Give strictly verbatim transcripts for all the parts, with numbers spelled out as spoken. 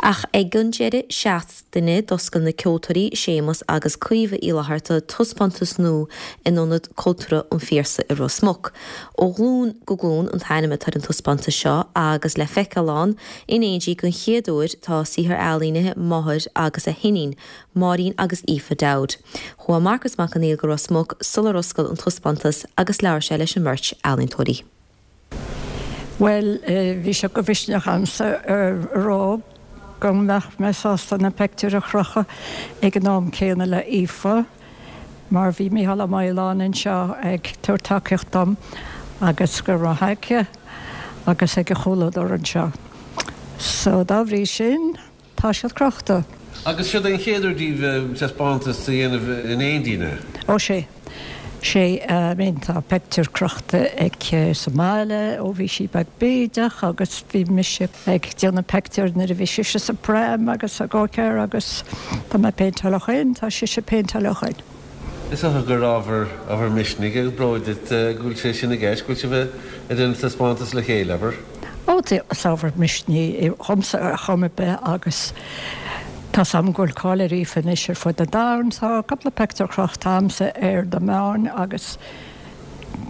Ach ag an deireadh seachtaine d'oscail na ceoltóirí Séamus agus Caoimhe Uí Fhlatharta taispeántas nua in Ionad Cultúrtha an Phiarsaigh i Ros Muc. Ó ghlúin go glúin an t-ainm atá ar an taispeántas seo agus le feiceáil ann in éindí den chéad uair tá saothar ealaíne máthair agus a hiníon, Máirín agus Aoife Dowd. Chuaigh Marcas Mac Conghail go Ros Muc sular oscail an taispeántas agus labhair sé leis an mbeirt ealaíontóirí. Well bhí sé go mhisneach a'msa ar rá go mbeadh mé sásta na pictiúir a chrochadh ag an am céanna le Aoife, mar bhí Mícheál Ó Maoláin anseo ag tabhairt tacaíocht dom agus go raibh aici agus ag a chomhluadar anseo. So dá bhrí sin tá siad crochta. Agus seo an chéad uair daoibh taispeántas a dhéanamh in éindí na? Ó sé sé mín tá pictiúr crochta aici sa mbaile ó bhí sí beag bídeach agus bhí mise ag déanamh pictiúr nuair a bhí sise sa pram agus a go-kart agus tá mé péinteáil ó shin tá sise péinteáil ó shin. Is dócha gur ábhar ábhar misnigh agus bróid duit go bhfuil sé sin i gceist, go bhfuil sibh ag déanamh taispeántas le chéile abair. Ó is ábhar misnigh dhomsa ar chuma ar bith agus Tá sam ghfuil cáil ar Aoife anois ar fud an domhain, tá cúpla pictiúr crochta a'msa ar na meáin agus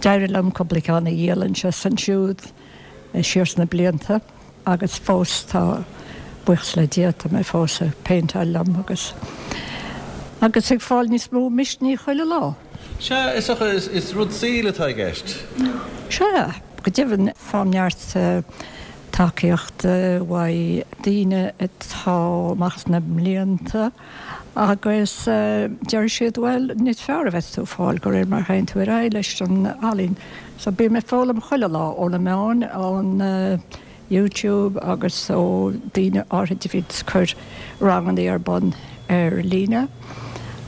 d'éirigh liom cúpla ceann a dhíol anseo is ansiúd siar sna blianta agus fós tá buíochas le Dia tá mé fós ag péinteáil liom agus agus ag fáil níos mó misnigh chuile lá. Sea is is, is rud saoil atá i gceist. Sea, go deimhin faighim neart tacaíocht uaidh daoine atá amach sna blianta agus deir siad bhuel níos fearr a bheith tú fáil go réir mar théann tú ar aghaidh leis an ealaín. So bím ag foghlaim chuile lá ó na meáin ón YouTube agus ó daoine áirithe a bhíonn ag cur ranganna ar bun ar líne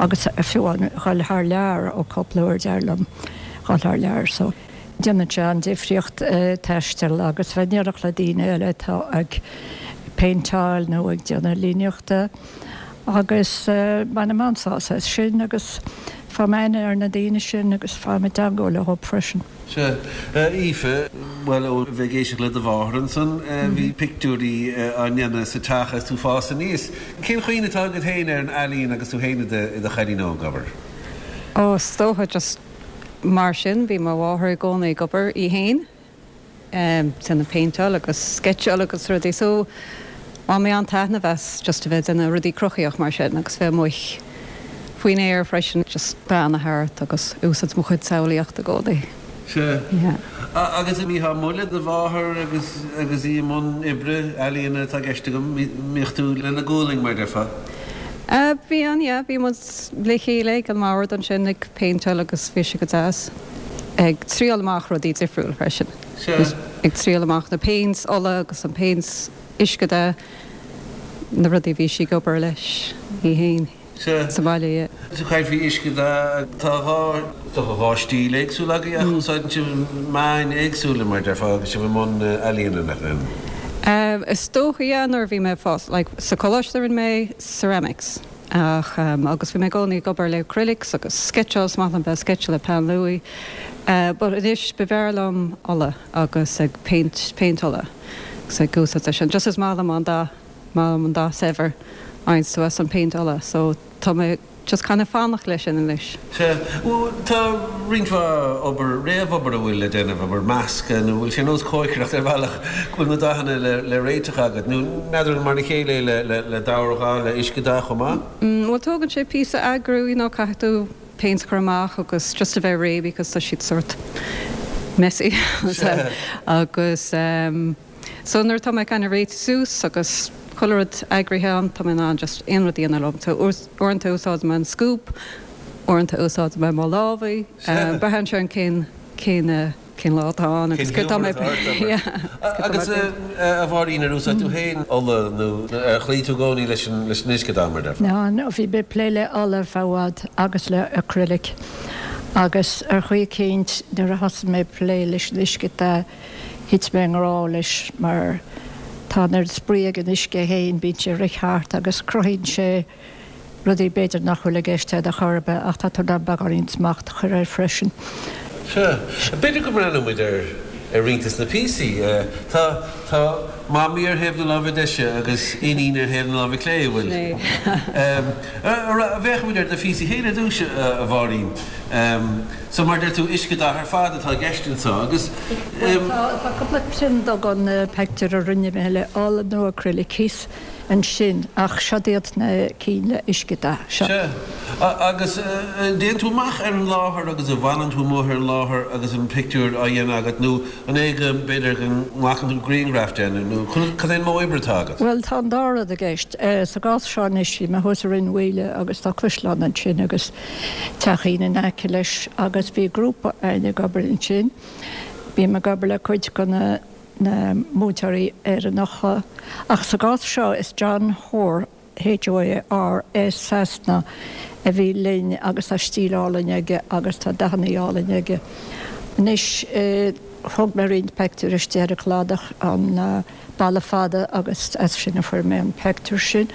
agus fiú an dhul thar lear ó cúpla uair d'éirigh liom dhul thar lear so. Déanann sé an difríocht taisteal agus bheith in éineacht le daoine eile atá ag péinteáil nó ag déanamh líníochta agus bainim an-sásamh as sin agus faighim aithne ar na daoine sin agus faighim i dteagmháil leo freisin. Sea, Aoife, bhuel ó bheith ag éisteacht le do mháthair ansan, bhí pictiúirí á ndéanamh sa teach agus tú ag fás aníos. Cén chuimhne atá agat féin ar an ealaín agus tú féin i do chailín óg, abair? Ó, is dócha just mar sin bhí mo mháthair i gcónaí ag obair í féin um, déanamh péinteáil agus sceitseáil agus rudaí so bhain mé an-taitneamh as just a bheith déanamh rudaí cruthaíoch mar sin agus bheith amuigh faoin aer freisin just breathnú thart agus úsáid mo chuid samhlaíocht i gcónaí. Sea. Yeah. Agus an mbítheá amuigh le do mháthair agus agus í i mbun oibre ealaíona atá i gceist agam, mbíodh tú lena gualainn mar déarfá? Uh, bhí an yeah, bhí muid le chéile ag an mbord ansin ag péinteáil agus bhí sé go deas ag triail amach rudaí difriúil freisin. Sea. Ag triail amach na péints ola agus an péints uiscedhath na rudaí bhí sí ag obair leis í féin Sea. sa bhaile. Yeah. Sa chaint faoi uiscedhath tá dhá tá dhá stíl éagsúla agaibh ach úsáideann sibh meáin éagsúla mar déarfá agus sibh i mbun ealaíona nach bhfuil. Um, is dócha yeah, nuair a bhí mé fós like, sa choláiste rinne mé ceramics ach um, agus bhí mé i gcónaí ag obair le acrylics agus sketcháil is maith liom bheith sketch le peann luaidhe. Uh, but anois b'fhearr liom ola agus ag paint paint ola agus ag úsáid sin. Just is maith liom an dath maith liom an dath saibhir ein tú as an paint ola, so tá mé just kind of fanacht leis sin anois. Sea, tá roinnt mhaith obair réamhobair a bhfuil le déanamh obair measctha nó bhfuil sé nós cócaireacht ar bhealach go bhfuil na dathanna le, le réiteach agat nó n'fheadar mar a chéile le, le, le dobharghath le uiscedhath chomh maith? Mm, well tógann sé píosa eagrú, you know, caithfidh tú paint chur amach agus just a bheith réidh because tá siad sort messy agus um, so nuair tá mé kind of réitithe suas agus chuile rud eagraithe an tá mé an just aon rud dhéanamh liom so uaireanta úsáid mé an scoop uaireanta úsáid mé mo lámha braitheann sé an cén cén cén lá atá ann agus céard tá mé Agus a Mháirín ar úsáid tú féin ola nó ar chloígh tú i gcónaí leis an leis an uiscedhath mar déarfá. No, no, bhí mé plé le ola ar feadh i bhfad agus le acrylic agus ar chaoi éicint nuair a thosaigh mé plé leis an uiscedhath thit mé i ngrá leis mar tá an spraoi ag an uisce féin bíonn sé rith thart agus cruthaíonn sé rudaí b'fhéidir nach bhfuil i gceist agat ar chor ar bith ach tá tú in ann beagáinín smacht a chur air freisin. Sea, b'fhéidir go mbreathnóidh muid ar ar roinnt de na píosaí. Tá Tá mamaí ar thaobh na láimhe deise agus iníon ar thaobh na láimhe clé, an bhfuil? Féachfaimid ar do phíosa féin ar dtús, a Mháirín. So mar deir tú, uiscedhath ar fad atá i gceist anseo agus. Bhuel, tá cúpla prionta den pictiúr a rinne mé le ola nó acrylic thíos ansin ach seod iad na cinn le uiscedhath. Sea. Agus an dtéann tú amach ar an láthair agus an bhfanann tú amuigh ar an láthair agus an pictiúr á dhéanamh agat nó an é go mb'fhéidir go nglacann tú grianghraf de nó cad é an modh oibre atá agat? Bhuel, tá an dá rud i gceist. Sa gcás seo anois, bhí mé thuas i Rinn Mhaoile agus tá caisleán ansin agus teachín in aice leis agus bhí grúpa againn ag obair ansin. Bím ag obair le cuid de na na múinteoirí Éireannacha ach sa gcás seo is John Hoare, H O A R, as Sasana a bhí linn agus tá stíl álainn aige agus tá dathanna álainn aige. Anois thóg mé roinnt pictiúr istigh ar an chladach, an balla fada agus as sin a fuair mé an pictiúr sin,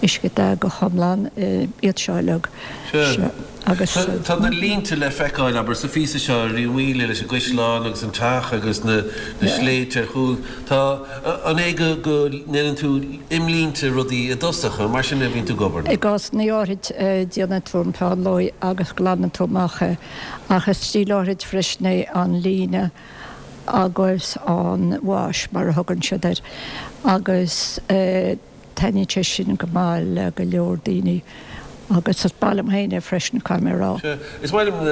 uiscedhath go hiomlán, iad seo uilig. Sea. Agus. Tá na línte le feiceáil, abair, sa phíosa seo ar Rinn Mhaoile leis an gcaisleán agus an teach agus na sléibhte ar chúl. Tá, an é go go ndéanann tú imlínte rudaí i dtosach, an mar sin a bhíonn tú ag obair? I gcásanna áirid déanann tú an peann luaidhe agus glanann tú amach é ach is stíl áirid freisin é an líne agus an wash mar a thugann siad air agus taitníonn sé sin go maith le go leor daoine agus is maith liom féin é freisin, caithfidh mé a rá. Sea, is maith liom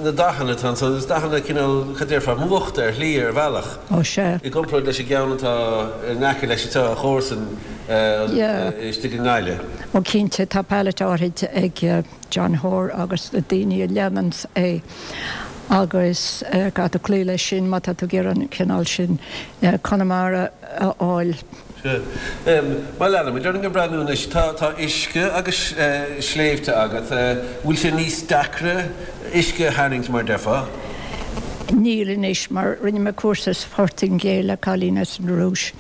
na dathanna atá ansan, is dathanna cineál, cad déarfá, múchta ar shlí, ar bhealach. Ó sea. I gcomparáid leis an gceann atá in aice leis anseo, a chomharsan istigh i nGaillimh. Ó cinnte, tá palette áirid ag John Hoare agus na daoine a leananns é agus caithfidh tú cloí leis sin má tá tú ag iarraidh an cineál sin Conamara a fháil. Sea. Má leanaimid orainn ag breathnú anois, tá tá uisce agus sléibhte agat. Bhfuil sé níos deacra uisce a tharraingt mar déarfá? Níl anois mar rinne mé cúrsa sa Phortaingéil le cailín as an Rúis,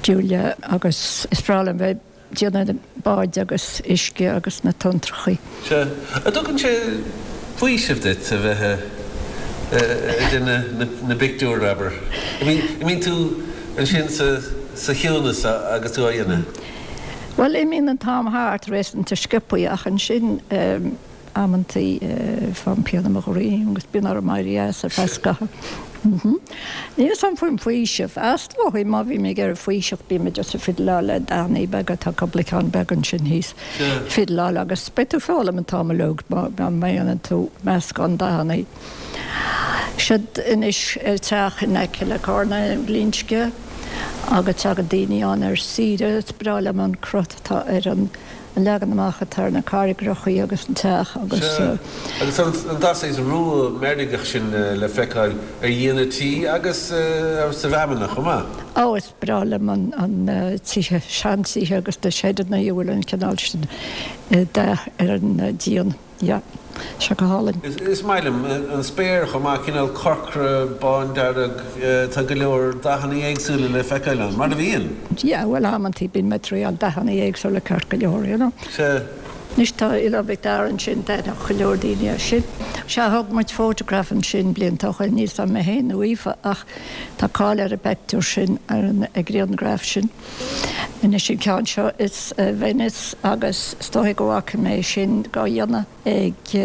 Julia, agus is breá liom bheith déanamh báid agus uisce agus na tonntrachaí. Sea. An dtugann sé faoiseamh duit a bheith ag déanamh na bpictiúr, abair? An mbíonn tú ansin sa chiúnas agus tú á dhéanamh? Bhuel, imíonn an t-am thart réasúnta sciobthaí ach ansin, Amantaí faighim pian i mo dhroim agus bíonn orm éirí as ar feadh scaithimh. Níl fhios a'm faoin bhfaoiseamh. Is dóigh má bhím ag iarraidh faoiseamh bím just ag fiddleáil le dathannaí beaga, tá cúpla ceann beag ansin thíos, fiddleáil agus beidh tú ag foghlaim an t-am uilig má dhéanann tú meascán dathannaí. Siod anois teach in aice le Carna i Glinsce agus tagann daoine ann ar saoire. Is breá liom an cruth atá ar an an leagan amach atá ar na carraigreachaí agus an teach agus. Sea, agus an dath saghas rua meirgeach sin le feiceáil ar dhíon an tí agus sa bhfeamainn chomh maith. Ó, is breá liom an tithe, seantithe agus na seideanna a bhfuil an cineál sin dath ar an díon. Yeah, sé go hálainn. Is maith liom an spéir chomh maith, cineál corcra, bándearg, tá go leor dathanna éagsúla le feiceáil ann, mar a bhíonn. Yeah, bhuel amantaí bíonn mé ag triáil dathanna éagsúla ceart go leor, you know. Sea. Anois tá Oileán Mhic Dara ansin, d'aithneodh go leor daoine é sin. Sea, thóg muid fótagraf ansin blianta ó shin, níl 's a'm mé féin nó Aoife ach tá cáil ar an bpeictiúr sin, ar an ghrianghraf sin. Anois an ceann seo is Venice agus is dóigh go bhfaca mé sin á dhéanamh ag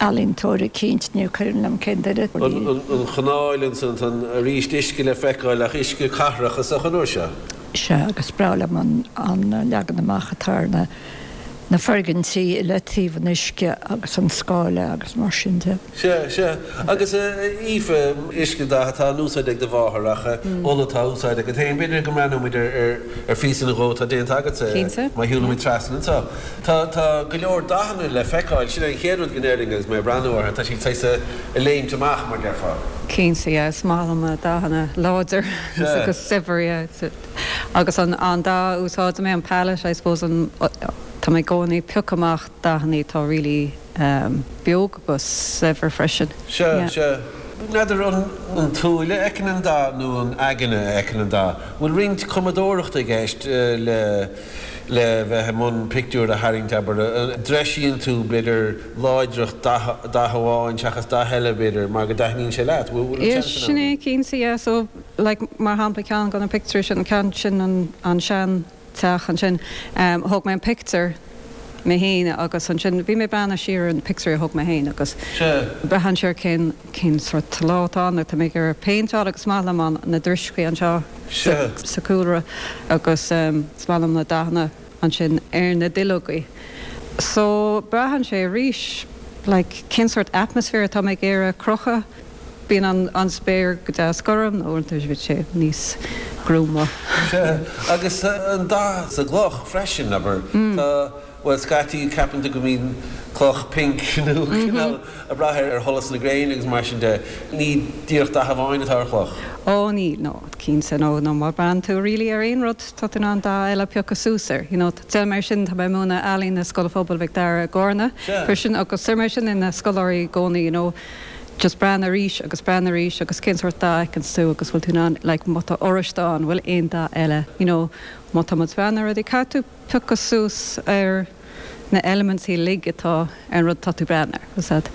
ealaíontóir eicínt, ní cuimhin liom cén duine. An chanáil ansan, tá arís uisce le feiceáil ach uisce cathrach is dócha an uair seo. Sea, agus is breá liom an leagan amach atá ar na na foirgintí i leataobh an uisce agus an scáile agus mar sin de. Sea, sea. Agus a Aoife, uiscedhath atá in úsáid ag do mháthair ach ola atá á úsáid agat féin. B'fhéidir go mbreathnóidh muid ar phíosa nó dhó atá déanta agatsa Cinnte. má shiúlaimid trasna anseo. Tá, tá go leor dathanna le feiceáil. Sin é an chéad rud go ndéarfainn agus mé ag breathnú orthu. Tá siad saghas ag léimt amach, mar déarfá. Cinnte, yeah. Is maith liom dathanna láidir Sea. agus saibhir, yeah. Agus an, an dath a úsáidim é, an palette, I suppose, an, Tá mé i gcónaí ag piocadh amach dathanna atá really beoga agus saibhir freisin. Sea, sea. N'fheadar an tsúil a fheiceann an dath nó an aigne a fheiceann an dath. Bhfuil roinnt cumadóireachta i gceist le le bheith i mbun pictiúr a tharraingt abair an dtreisíonn tú b'fhéidir láidreacht dath amháin seachas dath eile b'fhéidir mar go dtaitníonn sé leat? Bhfuil an Yeah, seans sin ann? é cinnte, yeah, so like mar shampla ceann de na pictiúir sin, an ceann sin an an sean teach ansin, um, thóg mé an pictiúr mé féin agus ansin bhí mé breathnú siar ar an pictiúr a thóg mé féin agus Sea. braitheann sé ar cén cén sort lá atá ann, tá mé ag iarraidh péinteáil agus is maith liom an na drioscaí anseo Sea. sa cúlra agus um, is maith liom na dathanna ansin ar na duilleogaí. So braitheann sé arís like cén sort atmosphere atá mé ag iarraidh a chruthú bíonn an an spéir go deas gorm nó uaireanta bíonn sé níos gruama. Sea, agus an dath sa gcloch freisin abair. Tá well scaití ceapann tú go mbíonn cloch pink nó cineál ag brath ar sholas na gréine agus mar sin de. Ní díreach dath amháin atá ar chloch. Ó ní no cinnte nó nó má bhreathnaíonn tú really ar aon rud tá tú in ann dath eile piocadh suas air. You know, Tá mar sin tá mé ag múineadh ealaín i Scoil Phobail Mhic Dara i gCarna. Sea. Freisin agus mar sin na scoláirí i gcónaí, you know, just breathnaigh arís agus breathnaigh arís agus cén sort dath a fheiceann tú agus bhfuil tú in ann like, má tá oráiste ann bhfuil aon dath eile, you know, má tá muid breathnú ar rudaí caithfidh tú piocadh suas ar na eilimintí uilig atá ar an rud tá tú breathnú air. Was that?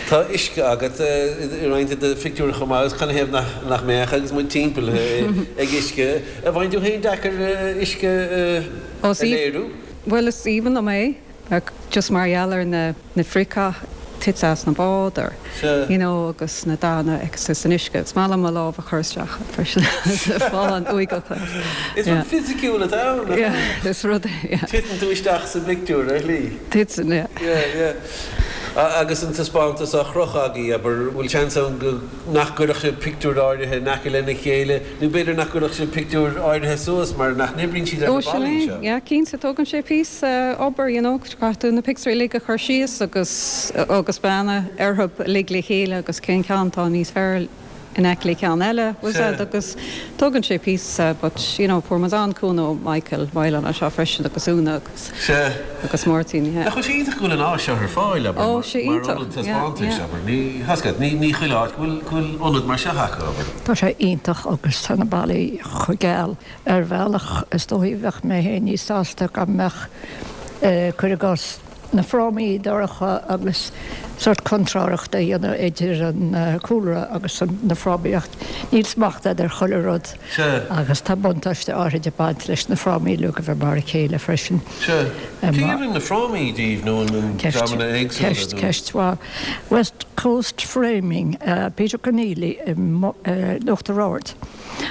Tá uisce agat i roinnt de phictiúir chomh maith agus canathaobh nach nach mbeadh agus muid timpeall ag uisce. An bhfaigheann tú féin deacair uisce Ó, a sí. léiriú? Well is aoibhinn liom é just mar gheall ar na na friocha tite as na báid or Sea. you know, agus na dathanna agus san uisce. Is maith liom mo lámh a chur isteach freisin fáil uigeach. Is rud fisiciúil atá ann. Yeah, is rud yeah. Titeann tú isteach sa bpictiúr ar shlí. Titeann, yeah. Yeah, yeah. A- Agus an taispeántas á chrochadh agaibh abair bhfuil seans ann go nach gcuirfeadh sibh pictiúr áirithe in aice lena chéile, nó b'fhéidir nach gcuirfeadh sibh pictiúr áirithe suas mar nach n-oibríonn siad ar Ó na sin ballaí é, seo. yeah, cinnte tógann sé píosa obair, you know, caithfidh tú na pictiúirí uilig a chur síos agus agus breathnú orthu uilig le chéile agus cén ceann atá níos fearr in aice le ceann eile was Sea. that agus tógann sé píosa but you know fuair muid an-chúnamh ó Michael Wylan anseo freisin agus Úna agus Sea. agus Martin yeah. Nach bhfuil sé iontach go bhfuil an áis seo ar fáil abair, Ó, mar- sé mar iontach, ionad yeah, taispeántais yeah. abair. Ní hascad, ní ní chuile áit go bhfuil go bhfuil ionad mar seo acu abair. Tá sé iontach agus tá na ballaí chomh geal ar bhealach is dóigh bheadh mé féin níos sásta go mbeadh cuir i gcás na frámaí dorcha agus sort contrárthacht a dhéanamh idir an eh, cúlra agus an- na frámaíocht. Níl smacht ar chuile rud Sea. agus tá buntáiste áirid ag baint leis na frámaí le go bheith mar a chéile freisin. Sea. Em, Cé rinne na frámaí díobh nó an Ceist dreamanna éagsúla ceist nó- ceist mhaith. West Coast Framing uh, Peter Keneally i Mo- uh, Uachtar Ard.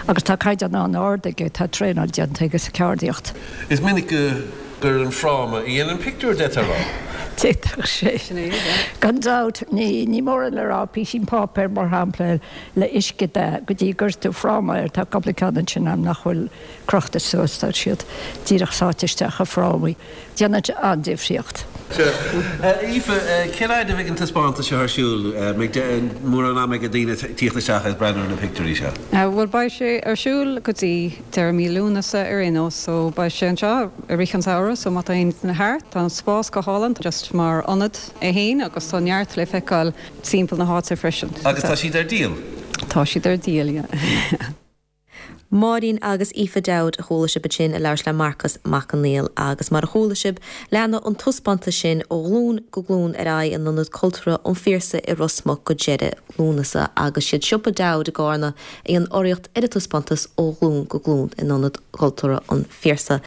Agus tá caighdeán an-ard aige tá traenáil déanta aige sa cheardaíocht. Is minic go gur an fráma a dhéanann an pictiúr de rá. D'fhéadfadh sé. Sin é, yeah. Gan dabht ní ní mór le rá písín páipéir mar shampla le uisce de go dtí gur tú fráma ar tá cúpla ceann sin am nach bhfuil crochta suas tá siad díreach sáite isteach i frámaí. Déanann an-difríocht. Aoife, cén fhad a bheidh an taispeántas seo ar siúl mórán ama ag daoine tíocht isteach is breathnú ar na pictiúirí seo. Uh, well beidh sé ar siúl go dtí deireadh mí Lúnasa ar aon nós, so beidh sé anseo i rith an tsamhraidh, so má tá aon duine thart, tá an spás go hálainn just mar ionad é féin agus tá neart le feiceáil timpeall na háite freisin. Agus tá siad ar díol. Tá siad ar díol. Yeah. Máirín agus Aoife Dowd a chuala sibh ansin ag labhairt le Marcas Mac Conghail agus mar a chuala sibh leanfaidh an taispeántas sin ó ghlúin go glúin ar aghaidh in Ionad Cultúrtha an Phiarsaigh i Ros Muc go deireadh Lúnasa agus siad Siopa Dowd i gCarna a dhein urraíocht ar an taispeántas ó ghlúin go glúin in Ionad Cultúrtha an Phiarsaigh.